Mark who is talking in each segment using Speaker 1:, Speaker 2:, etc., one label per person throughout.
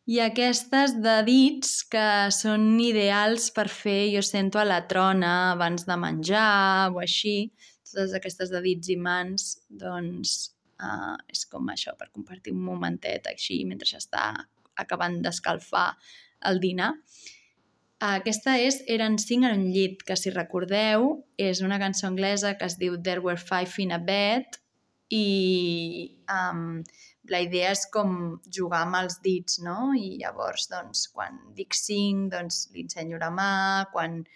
Speaker 1: I aquestes de dits que són ideals per fer jo sento a la trona abans de menjar o així, totes aquestes de dits i mans, doncs és com això, per compartir un momentet així mentre s'està acabant d'escalfar el dinar. Aquesta és Eren 5 en un llit, que si recordeu és una cançó anglesa que es diu There Were 5 in a Bed i la idea és com jugar amb els dits, no? I llavors, doncs, quan dic 5, doncs li ensenyo la mà, quan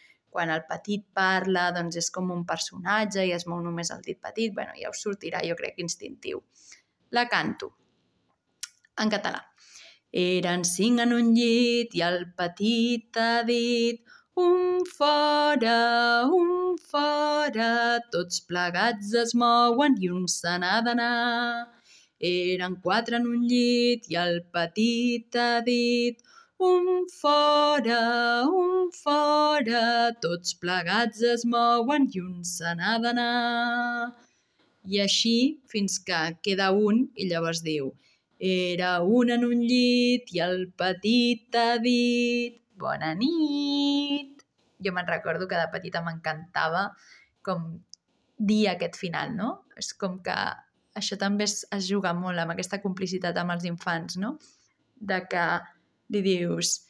Speaker 1: el petit parla, doncs és com un personatge i es mou només el dit petit. Bueno, ja us sortirà, jo crec, instintiu. La canto en català. Eren 5 en un llit i el petit ha dit un fora, tots plegats es mouen i un se n'ha d'anar. Eren 4 en un llit i el petit ha dit un fora, tots plegats es mouen i un se n'ha d'anar. I així fins que queda un i llavors diu era un en un llit i el petit ha dit bona nit. Jo me'n recordo que de petita m'encantava com dir aquest final, no? És com que això també es juga molt amb aquesta complicitat amb els infants, no? De que li dius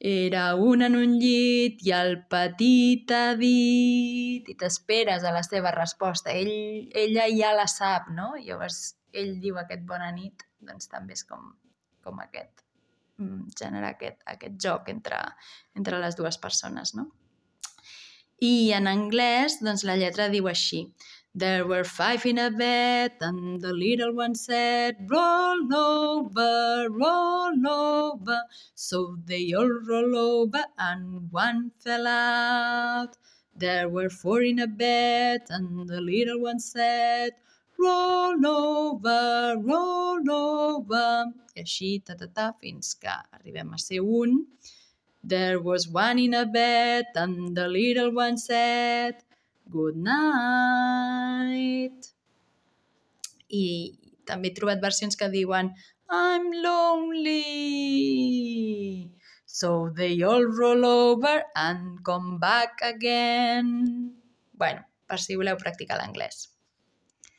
Speaker 1: era un en un llit i el petit ha dit i t'esperes a la seva resposta. Ella ja la sap, no? Llavors ell diu aquest bona nit, doncs també és com aquest, generar aquest joc entre les dues persones, no? I en anglès, doncs la lletra diu així. There were 5 in a bed and the little one said roll over, so they all roll over and one fell out. There were 4 in a bed and the little one said roll over, i així, fins que arribem a ser un. There was 1 in a bed and the little one said good night. I també he trobat versions que diuen I'm lonely. So they all roll over and come back again. Bueno, per si voleu practicar l'anglès.